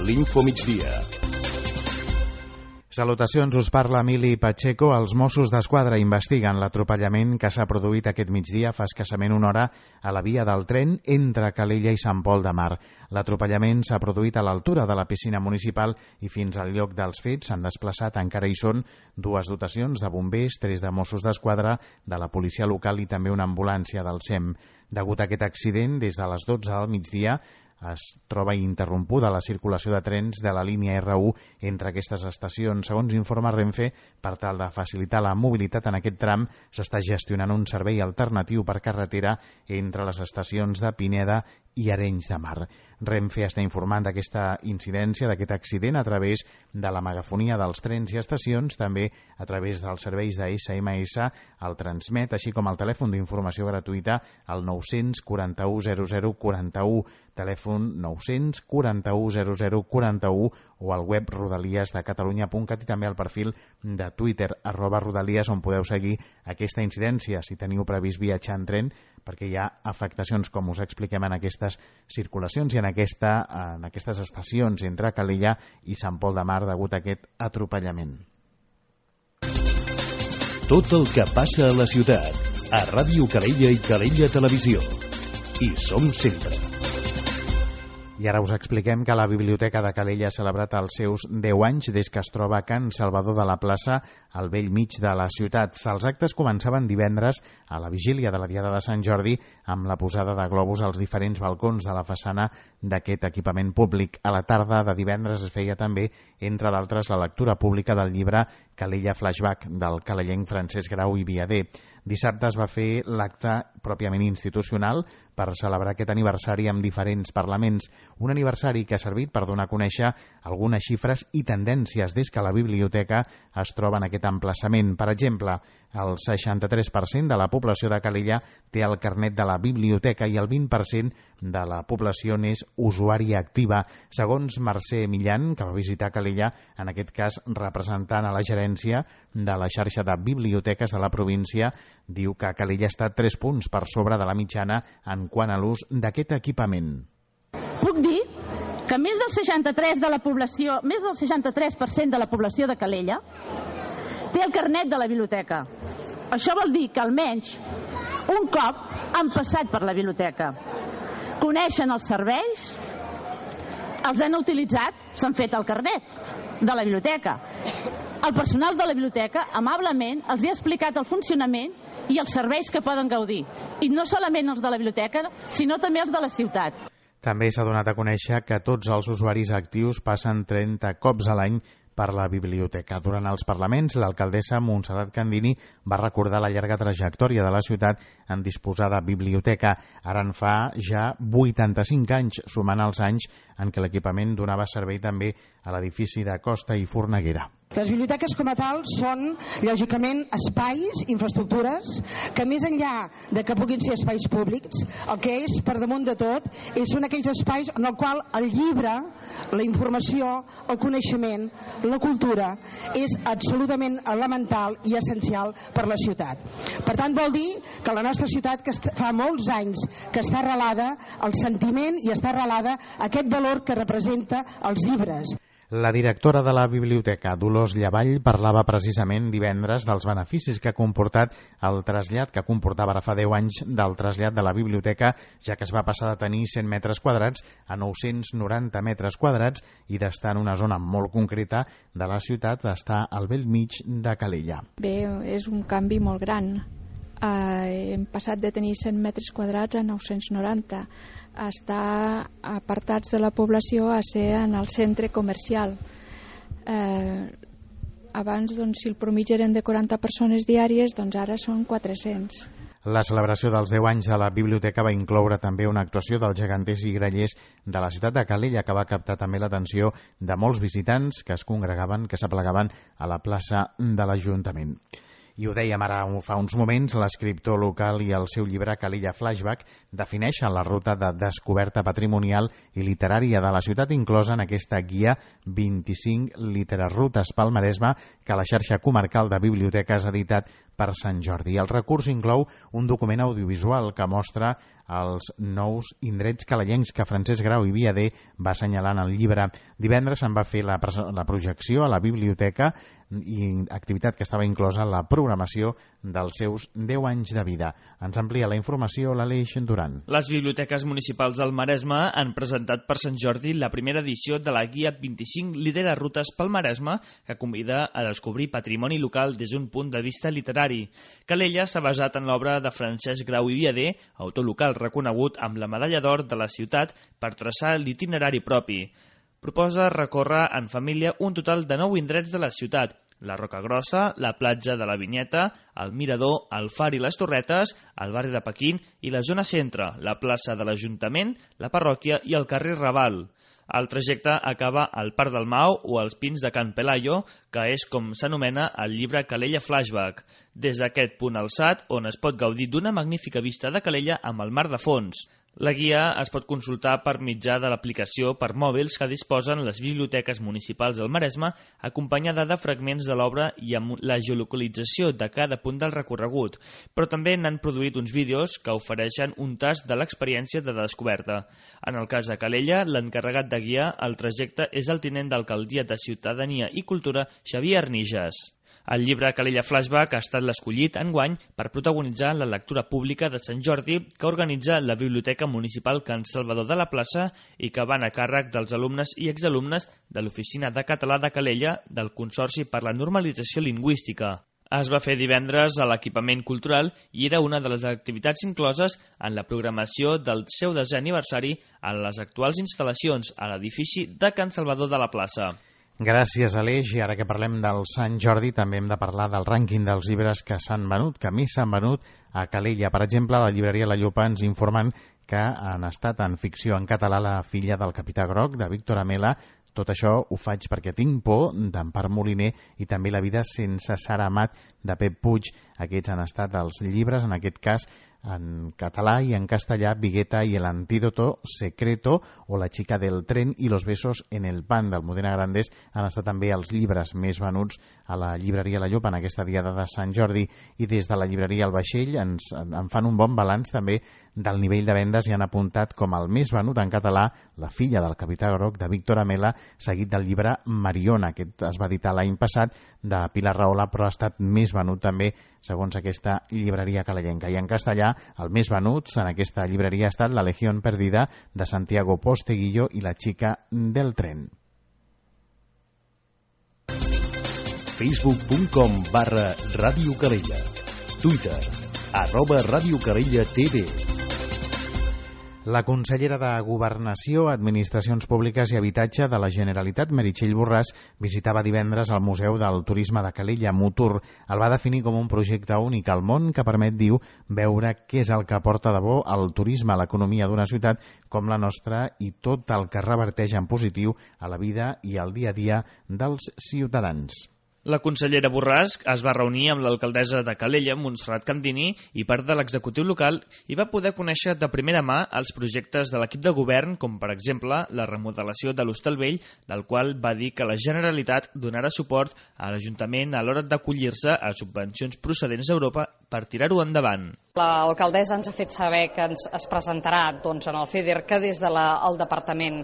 l'Infomigdia. Salutacions, us parla Emili Pacheco. Els Mossos d'Esquadra investiguen l'atropellament que s'ha produït aquest migdia fa escassament una hora a la via del tren entre Calella i Sant Pol de Mar. L'atropellament s'ha produït a l'altura de la piscina municipal i fins al lloc dels fets s'han desplaçat, encara hi són, dues dotacions de bombers, 3 de Mossos d'Esquadra, de la policia local i també una ambulància del SEM. Degut a aquest accident, des de les 12 del migdia, es troba interrompuda la circulació de trens de la línia R1 entre aquestes estacions. Segons informa Renfe, per tal de facilitar la mobilitat en aquest tram, s'està gestionant un servei alternatiu per carretera entre les estacions de Pineda i Arenys de Mar. Renfe està informant d'aquesta incidència, d'aquest accident, a través de la megafonia dels trens i estacions, també a través dels serveis de SMS, el Transmet, així com el telèfon d'informació gratuïta al 941 00 41, telèfon 941 00 41, o al web rodaliesdecatalunya.cat i també al perfil de Twitter @rodalies, on podeu seguir aquesta incidència si teniu previst viatjar en tren, perquè hi ha afectacions, com us expliquem, en aquestes circulacions i en aquestes estacions entre Calella i Sant Pol de Mar degut a aquest atropellament. Tot el que passa a la ciutat, a Ràdio Calella i Calella Televisió. Hi som sempre. I ara us expliquem que la Biblioteca de Calella ha celebrat els seus 10 anys des que es troba a Can Salvador de la Plaça, al bell mig de la ciutat. Els actes començaven divendres a la vigília de la Diada de Sant Jordi amb la posada de globus als diferents balcons de la façana d'aquest equipament públic. A la tarda de divendres es feia també, entre d'altres, la lectura pública del llibre Calella Flashback del calellenc Francesc Grau i Viader. Dissabte es va fer l'acte pròpiament institucional per celebrar aquest aniversari amb diferents parlaments. Un aniversari que ha servit per donar a conèixer algunes xifres i tendències des que la biblioteca es troba en aquest emplaçament. Per exemple, el 63% de la població de Calella té el carnet de la biblioteca i el 20% de la població n'és usuària activa. Segons Mercè Millan, que va visitar Calella, en aquest cas representant a la gerència de la xarxa de biblioteques de la província, diu que Calella està 3 punts per sobre de la mitjana en quant a l'ús d'aquest equipament. Puc dir que més del 63% de la població de Calella té el carnet de la biblioteca. Això vol dir que almenys un cop han passat per la biblioteca, coneixen els serveis, els han utilitzat, s'han fet el carnet de la biblioteca. El personal de la biblioteca amablement els ha explicat el funcionament i els serveis que poden gaudir. I no solament els de la biblioteca, sinó també els de la ciutat. També s'ha donat a conèixer que tots els usuaris actius passen 30 cops a l'any per la biblioteca. Durant els parlaments, l'alcaldessa Montserrat Candini va recordar la llarga trajectòria de la ciutat en disposar de biblioteca. Ara en fa ja 85 anys, sumant els anys en què l'equipament donava servei també a l'edifici de Costa i Forneguera. Les biblioteques com a tal són, lògicament, espais, infraestructures, que més enllà de que puguin ser espais públics, el que és, per damunt de tot, són aquells espais en el qual el llibre, la informació, el coneixement, la cultura, és absolutament elemental i essencial per la ciutat. Per tant, vol dir que la nostra ciutat, que fa molts anys que està arrelada al sentiment i està arrelada a aquest valor que representa els llibres. La directora de la biblioteca, Dolors Llavall, parlava precisament divendres dels beneficis que ha comportat el trasllat, que comportava ara fa 10 anys del trasllat de la biblioteca, ja que es va passar de tenir 100 metres quadrats a 990 metres quadrats i d'estar en una zona molt concreta de la ciutat, d'estar al bell mig de Calella. Bé, és un canvi molt gran. Hem passat de tenir 100 metres quadrats a 990, a estar apartats de la població, a ser en el centre comercial. Abans, doncs, si el promigi eren de 40 persones diàries, doncs ara són 400. La celebració dels 10 anys de la biblioteca va incloure també una actuació dels geganters i grallers de la ciutat de Calella, que va captar també l'atenció de molts visitants que es congregaven, que s'aplegaven a la plaça de l'Ajuntament. I ho dèiem ara fa uns moments, l'escriptor local i el seu llibre Calella Flashback defineixen la ruta de descoberta patrimonial i literària de la ciutat inclosa en aquesta guia 25 literarrutes pel Maresme que la xarxa comarcal de biblioteques ha editat per Sant Jordi. El recurs inclou un document audiovisual que mostra els nous indrets calellencs que Francesc Grau i Viader va assenyalar en el llibre. Divendres se'n va fer la projecció a la biblioteca i activitat que estava inclosa en la programació dels seus 10 anys de vida. Ens amplia la informació l'Aleix Duran. Les biblioteques municipals del Maresme han presentat per Sant Jordi la primera edició de la Guia 25 Lidera Rutes pel Maresme, que convida a descobrir patrimoni local des d'un punt de vista literari. Calella s'ha basat en l'obra de Francesc Grau i Viader, autor local reconegut amb la medalla d'or de la ciutat, per traçar l'itinerari propi. Proposa recórrer en família un total de 9 indrets de la ciutat: la Roca Grossa, la platja de la Vinyeta, el Mirador, el Far i les Torretes, el barri de Pequín i la zona centre, la plaça de l'Ajuntament, la parròquia i el carrer Raval. El trajecte acaba al Parc del Mau o als Pins de Can Pelayo, que és com s'anomena el llibre Calella Flashback. Des d'aquest punt alçat, on es pot gaudir d'una magnífica vista de Calella amb el mar de fons. La guia es pot consultar per mitjà de l'aplicació per mòbils que disposen les biblioteques municipals del Maresme, acompanyada de fragments de l'obra i amb la geolocalització de cada punt del recorregut, però també n'han produït uns vídeos que ofereixen un tast de l'experiència de descoberta. En el cas de Calella, l'encarregat de guiar el trajecte és el tinent d'alcaldia de Ciutadania i Cultura, Xavier Arnijas. El llibre Calella Flashback ha estat l'escollit enguany per protagonitzar la lectura pública de Sant Jordi que organitza la Biblioteca Municipal Can Salvador de la Plaça i que van a càrrec dels alumnes i exalumnes de l'Oficina de Català de Calella del Consorci per la Normalització Lingüística. Es va fer divendres a l'equipament cultural i era una de les activitats incloses en la programació del seu 10è aniversari a les actuals instal·lacions a l'edifici de Can Salvador de la Plaça. Gràcies, Aleix. I ara que parlem del Sant Jordi, també hem de parlar del rànquing dels llibres que s'han venut, que més s'han venut a Calella. Per exemple, la llibreria La Llopa ens informen que han estat en ficció en català La filla del capità Groc, de Víctor Amela. Tot això ho faig perquè tinc por, d'Empar Moliner, i també La vida sense Sara Amat, de Pep Puig. Aquests han estat els llibres, en aquest cas, en català i en castellà, Vigueta i el antídoto secreto o La chica del tren i Los besos en el pan, d'Almudena Grandes. Han estat també els llibres més venuts a la llibreria La Llopa en aquesta diada de Sant Jordi, i des de la llibreria El Vaixell en fan un bon balanç també del nivell de vendes i han apuntat com el més venut en català La filla del capità Groc, de Víctor Amela, seguit del llibre Mariona. Aquest es va editar l'any passat, de Pilar Rahola, però ha estat més venut també segons aquesta llibreria calellenca. I en castellà, el més venut en aquesta llibreria ha estat La legión perdida, de Santiago Posteguillo, i La chica del tren. Facebook.com/Ràdio Calella. Twitter @Ràdio Calella TV. La consellera de Governació, Administracions Públiques i Habitatge de la Generalitat, Meritxell Borràs, visitava divendres el Museu del Turisme de Calella, Mutur. El va definir com un projecte únic al món que permet, diu, veure què és el que aporta de bo el turisme a l'economia d'una ciutat com la nostra i tot el que reverteix en positiu a la vida i al dia a dia dels ciutadans. La consellera Borràs es va reunir amb l'alcaldessa de Calella, Montserrat Candini, i part de l'executiu local, i va poder conèixer de primera mà els projectes de l'equip de govern, com per exemple la remodelació de l'Hostal Vell, del qual va dir que la Generalitat donarà suport a l'Ajuntament a l'hora d'acollir-se a subvencions procedents d'Europa per tirar-ho endavant. L'alcaldessa ens ha fet saber que es presentarà en el FEDER, que des del departament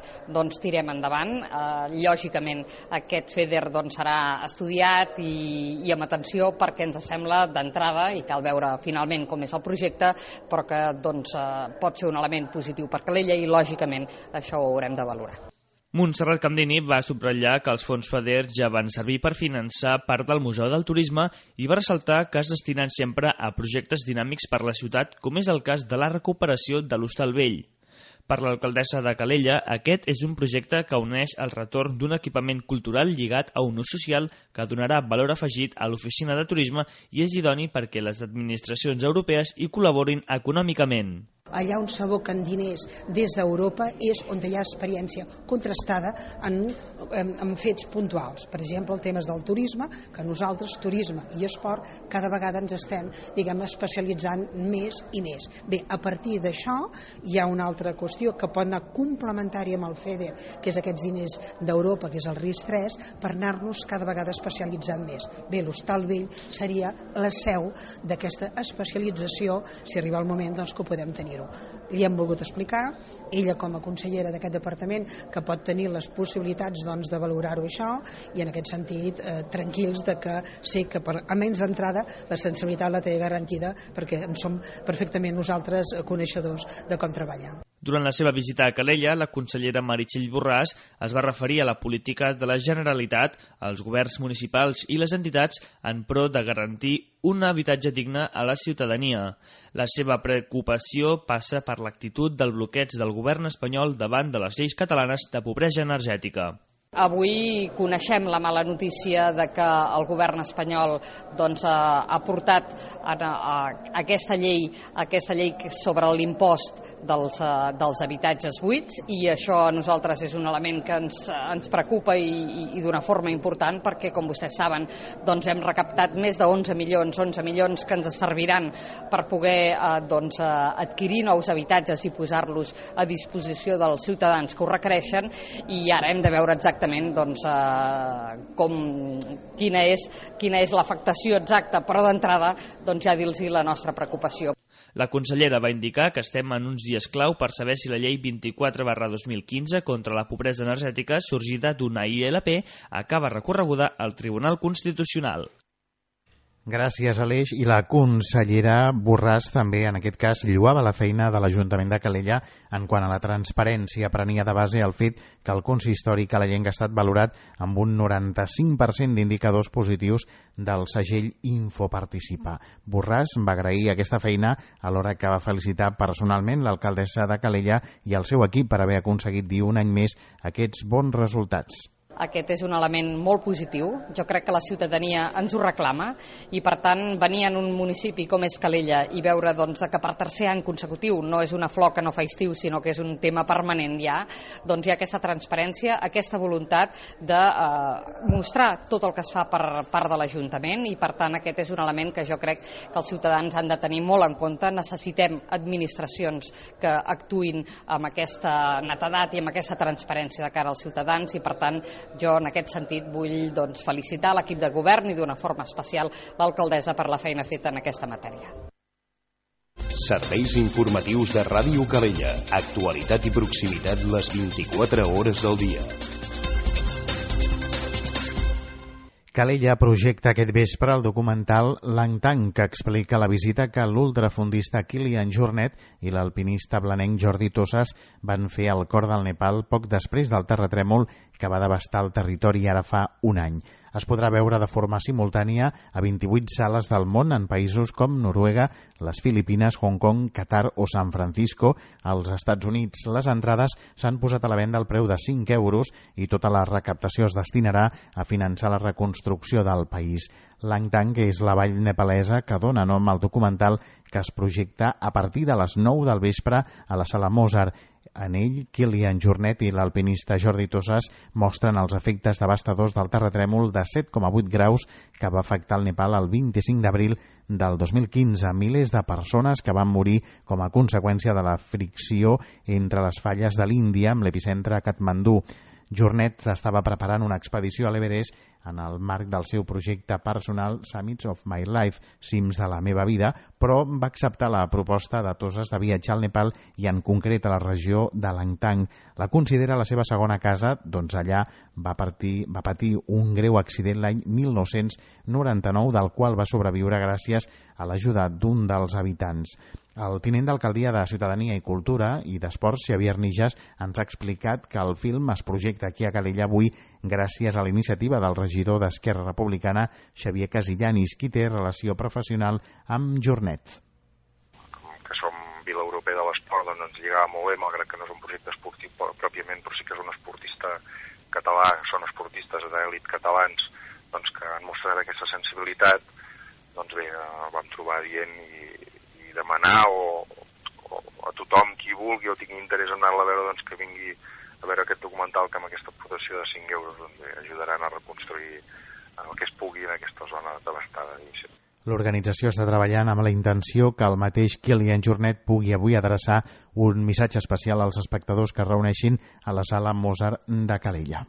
tirem endavant. Lògicament aquest FEDER serà estudiat i amb atenció, perquè ens sembla d'entrada, i cal veure finalment com és el projecte, però que pot ser un element positiu per Calella i lògicament això ho haurem de valorar. Montserrat Candini va subratllar que els fons FEDER ja van servir per finançar part del Museu del Turisme i va ressaltar que es destinen sempre a projectes dinàmics per la ciutat, com és el cas de la recuperació de l'Hostal Vell. Per l'alcaldessa de Calella, aquest és un projecte que uneix el retorn d'un equipament cultural lligat a un ús social que donarà valor afegit a l'oficina de turisme i és idoni perquè les administracions europees hi col·laborin econòmicament. Allà on s'aboquen diners des d'Europa és on hi ha experiència contrastada en fets puntuals. Per exemple, el tema del turisme, que nosaltres, turisme i esport, cada vegada ens estem, especialitzant més i més. Bé, a partir d'això hi ha una altra qüestió que pot anar complementària amb el FEDER, que és aquests diners d'Europa, que és el RIS3, per anar-nos cada vegada especialitzant més. Bé, l'Hostal Vell seria la seu d'aquesta especialització, si arriba el moment que ho podem tenir. fer-ho. Li hem volgut explicar, ella com a consellera d'aquest departament, que pot tenir les possibilitats doncs, de valorar-ho això, i en aquest sentit tranquils de que sé que almenys d'entrada la sensibilitat la té garantida, perquè en som perfectament nosaltres coneixedors de com treballar. Durant la seva visita a Calella, la consellera Meritxell Borràs es va referir a la política de la Generalitat, als governs municipals i les entitats en pro de garantir un habitatge digne a la ciutadania. La seva preocupació passa per l'actitud del bloqueig del govern espanyol davant de les lleis catalanes de pobresa energètica. Avui coneixem la mala notícia de que el govern espanyol doncs, ha portat aquesta llei sobre l'impost dels habitatges buits, i això a nosaltres és un element que ens preocupa i d'una forma important, perquè com vostès saben doncs, hem recaptat més de 11 milions que ens serviran per poder adquirir nous habitatges i posar-los a disposició dels ciutadans que ho requereixen, i ara hem de veure exactament quina és l'afectació exacta, però d'entrada ja dir-los la nostra preocupació. La consellera va indicar que estem en uns dies clau per saber si la llei 24/2015 contra la pobresa energètica, sorgida d'una ILP, acaba recorreguda al Tribunal Constitucional. Gràcies, Aleix. I la consellera Borràs també, en aquest cas, lloava la feina de l'Ajuntament de Calella en quant a la transparència. Prenia de base el fet que el consistori caleyenc ha estat valorat amb un 95% d'indicadors positius del segell Infoparticipa. Borràs va agrair aquesta feina alhora que va felicitar personalment l'alcaldessa de Calella i el seu equip per haver aconseguit dir un any més aquests bons resultats. Aquest és un element molt positiu. Jo crec que la ciutadania ens ho reclama, i per tant venir en un municipi com és Calella i veure que per tercer any consecutiu no és una flor que no fa estiu, sinó que és un tema permanent ja, doncs hi ha aquesta transparència, aquesta voluntat de mostrar tot el que es fa per part de l'Ajuntament, i per tant aquest és un element que jo crec que els ciutadans han de tenir molt en compte. Necessitem administracions que actuïn amb aquesta netedat i amb aquesta transparència de cara als ciutadans, i per tant jo en aquest sentit vull felicitar l'equip de govern i d'una forma especial l'alcaldessa per la feina feta en aquesta matèria. Serveis informatius de Ràdio Calella. Actualitat i proximitat les 24 hores del dia. Calella projecta aquest vespre el documental Langtang, que explica la visita que l'ultrafondista Kilian Jornet i l'alpinista blanenc Jordi Tossas van fer al cor del Nepal poc després del terratrèmol que va devastar el territori ara fa un any. Es podrà veure de forma simultània a 28 sales del món en països com Noruega, les Filipines, Hong Kong, Qatar o San Francisco. Als Estats Units les entrades s'han posat a la venda al preu de 5 euros i tota la recaptació es destinarà a finançar la reconstrucció del país. Langtang és la vall nepalesa que dona nom al documental, que es projecta a partir de les 9 del vespre a la Sala Mozart. En ell, Kilian Jornet i l'alpinista Jordi Tossas mostren els efectes devastadors del terratrèmol de 7,8 graus que va afectar el Nepal el 25 d'abril del 2015. Milers de persones que van morir com a conseqüència de la fricció entre les falles de l'Índia amb l'epicentre a Katmandú. Jornet estava preparant una expedició a l'Everest en el marc del seu projecte personal Summits of My Life, cims de la meva vida, però va acceptar la proposta de Tossas de viatjar al Nepal i en concret a la regió de Langtang. La considera la seva segona casa, doncs allà va patir un greu accident l'any 1999, del qual va sobreviure gràcies a l'ajuda d'un dels habitants. El tinent d'alcaldia de Ciutadania i Cultura i d'Esports, Xavier Nijas, ens ha explicat que el film es projecta aquí a Calella avui gràcies a la iniciativa del regidor d'Esquerra Republicana, Xavier Casillanis, qui té relació professional amb Jornet. Que som Vila Europea de l'Esport, doncs ens lligava molt bé, malgrat que no és un projecte esportiu pròpiament, però sí que és un esportista català, són esportistes d'èlit catalans, doncs que han mostrat aquesta sensibilitat. Doncs bé, vam trobar dient i demanar a tothom qui vulgui o tingui interès en anar-la a veure, doncs que vingui a veure aquest documental, que amb aquesta aportació de 5 euros doncs, ajudaran a reconstruir el que es pugui en aquesta zona devastada. L'organització està treballant amb la intenció que el mateix Kilian Jornet pugui avui adreçar un missatge especial als espectadors que es reuneixin a la Sala Mozart de Calella.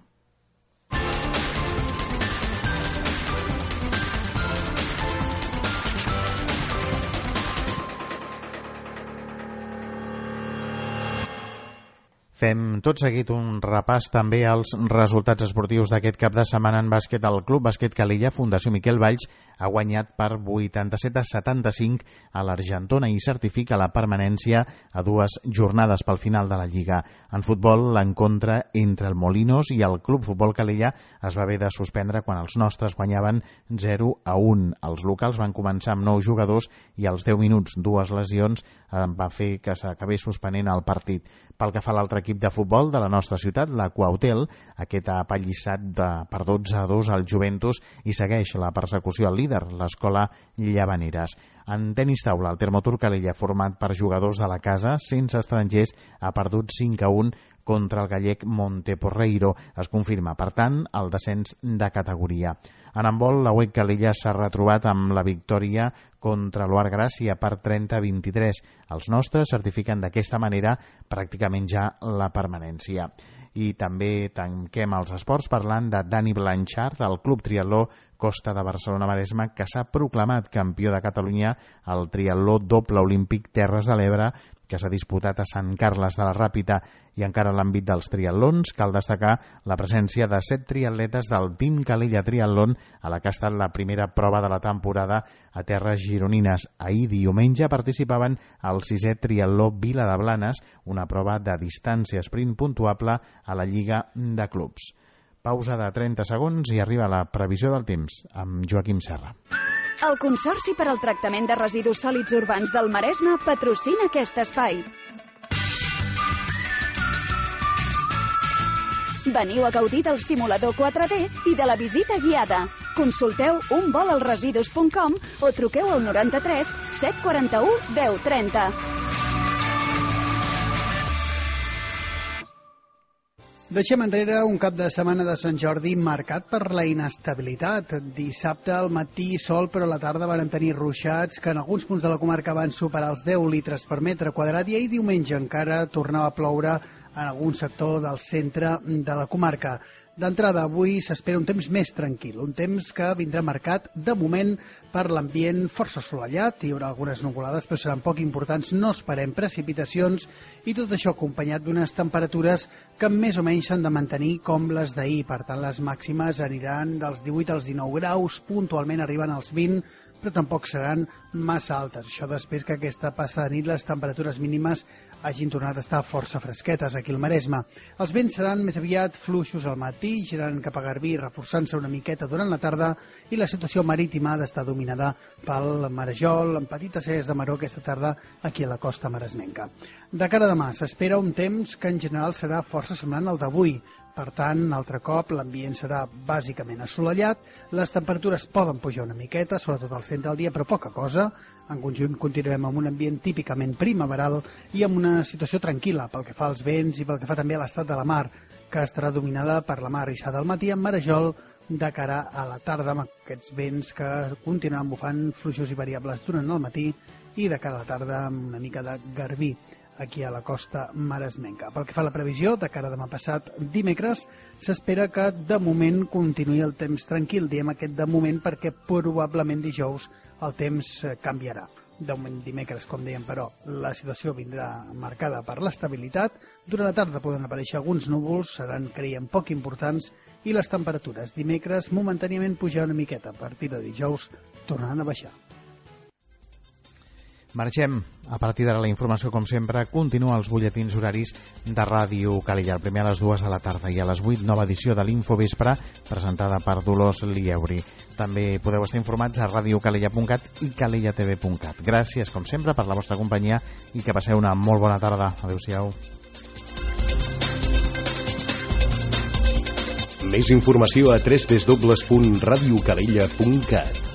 Fem tot seguit un repàs també als resultats esportius d'aquest cap de setmana en bàsquet. El Club Bàsquet Calella, Fundació Miquel Valls, ha guanyat per 87-75 a l'Argentona i certifica la permanència a 2 jornades pel final de la Lliga. En futbol, l'encontre entre el Molinos i el Club Futbol Calella es va haver de suspendre quan els nostres guanyaven 0-1. Els locals van començar amb 9 jugadors i als 10 minuts 2 lesions va fer que s'acabés suspenent el partit. Pel que fa a l'altre equip de futbol de la nostra ciutat, la Cuauhtél, aquest ha apallissat per 12-2 al Juventus i segueix la persecució al líder, l'Escola Llavaneres. En tenis taula, el Termotur Calella, format per jugadors de la casa, sense estrangers, ha perdut 5-1 contra el gallec Monteporreiro. Es confirma, per tant, el descens de categoria. En handbol, la UEC Calella s'ha retrobat amb la victòria contra l'Oar Gràcia per 30-23. Els nostres certifiquen d'aquesta manera pràcticament ja la permanència. I també tanquem els esports parlant de Dani Blanchard, del Club Triatló Costa de Barcelona-Maresme, que s'ha proclamat campió de Catalunya al triatló doble olímpic Terres de l'Ebre, que s'ha disputat a Sant Carles de la Ràpita. I encara en l'àmbit dels triatlons, cal destacar la presència de 7 triatletes del Team Calella Triatlon a la que ha estat la primera prova de la temporada a terres gironines. Ahir diumenge participaven al 6è triatló Vila de Blanes, una prova de distància sprint puntuable a la Lliga de Clubs. Pausa de 30 segons i arriba la previsió del temps amb Joaquim Serra. El Consorci per al Tractament de Residus Sòlids Urbans del Maresme patrocina aquest espai. Veniu a gaudir del simulador 4D i de la visita guiada. Consulteu unvolalresidus.com o truqueu al 93 741 1030. Deixem enrere un cap de setmana de Sant Jordi marcat per la inestabilitat. Dissabte al matí sol, però a la tarda van tenir ruixats que en alguns punts de la comarca van superar els 10 litres per metre quadrat i ahir diumenge encara tornava a ploure en algun sector del centre de la comarca. D'entrada, avui s'espera un temps més tranquil, un temps que vindrà marcat, de moment, per l'ambient força assolellat. Hi haurà algunes nuvolades, però seran poc importants, no esperem precipitacions, i tot això acompanyat d'unes temperatures que més o menys s'han de mantenir com les d'ahir. Per tant, les màximes aniran dels 18 als 19 graus, puntualment arriben als 20, però tampoc seran massa altes. Això després que aquesta passa de nit les temperatures mínimes hagin tornat a estar força fresquetes aquí al Maresme. Els vents seran més aviat fluixos al matí, girant cap a Garbí, reforçant-se una miqueta durant la tarda, i la situació marítima ha d'estar dominada pel marejol, amb petites selles de maró aquesta tarda aquí a la costa maresmenca. De cara a demà s'espera un temps que en general serà força semblant al d'avui. Per tant, altre cop, l'ambient serà bàsicament assolellat, les temperatures poden pujar una miqueta, sobretot al centre del dia, però poca cosa. En conjunt continuarem amb un ambient típicament primaveral i amb una situació tranquil·la pel que fa als vents i pel que fa també a l'estat de la mar, que estarà dominada per la mar rissada al matí amb marejol de cara a la tarda, amb aquests vents que continuaran bufant fluixos i variables durant el matí i de cara a la tarda amb una mica de garbí aquí a la costa maresmenca. Pel que fa a la previsió, de cara a demà passat dimecres, s'espera que de moment continuï el temps tranquil. Diem aquest de moment perquè probablement dijous el temps canviarà. De moment dimecres, com dèiem, però, la situació vindrà marcada per l'estabilitat. Durant la tarda poden aparèixer alguns núvols, seran, creiem, poc importants, i les temperatures dimecres momentàniament pujaran una miqueta. A partir de dijous tornaran a baixar. Marxem. A partir d'ara la informació, com sempre, continua als butlletins horaris de Ràdio Calella. El primer a les 2 de la tarda i a les 8, nova edició de l'Infovespre, presentada per Dolors Lieuri. També podeu estar informats a radiocalella.cat i calellatv.cat. Gràcies, com sempre, per la vostra companyia i que passeu una molt bona tarda. Adéu-siau. Més informació a www.radiocalella.cat.